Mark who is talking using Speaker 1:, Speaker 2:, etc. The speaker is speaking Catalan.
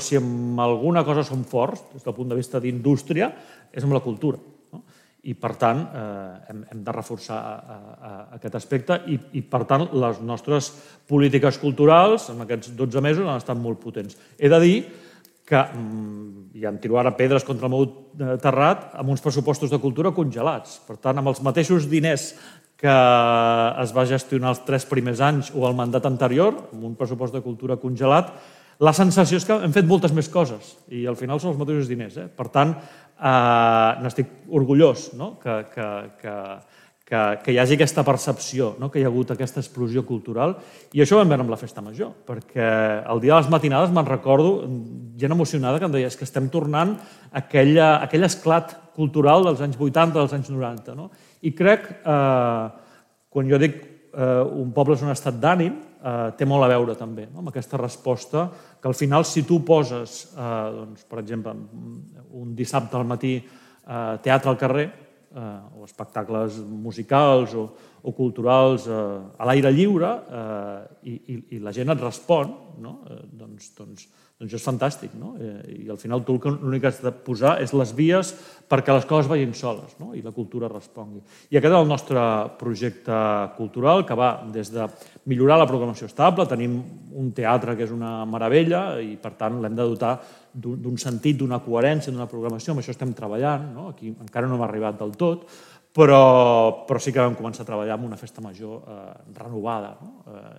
Speaker 1: si amb alguna cosa som forts, des del punt de vista d'indústria, és amb la cultura. I, per tant, hem de reforçar aquest aspecte i, per tant, les nostres polítiques culturals en aquests 12 mesos han estat molt potents. He de dir que, i em tiro ara pedres contra el meu terrat, amb uns pressupostos de cultura congelats. Per tant, amb els mateixos diners que es va gestionar els 3 primers anys o el mandat anterior, amb un pressupost de cultura congelat, la sensació és que hem fet moltes més coses i al final són els mateixos diners. Per tant, n'estic orgullós que hi hagi aquesta percepció, que hi ha hagut aquesta explosió cultural, i això ho vam veure amb la Festa Major, perquè el dia de les matinades me'n recordo gent emocionada que em deia és que estem tornant a aquell esclat cultural dels anys 80, dels anys 90. I crec, quan jo dic un poble és un estat d'ànim, té molt a veure també amb aquesta resposta que al final si tu poses, per exemple, un dissabte al matí teatre al carrer o espectacles musicals o culturals a l'aire lliure i la gent et respon, doncs això és fantàstic. I al final tu l'únic que has de posar és les vies perquè les coses vagin soles i la cultura respongui. I aquest és el nostre projecte cultural que va des de millorar la programació estable, tenim un teatre que és una meravella i per tant l'hem de dotar d'un sentit, d'una coherència, d'una programació, amb això estem treballant, aquí encara no hem arribat del tot, però sí que vam començar a treballar amb una festa major renovada.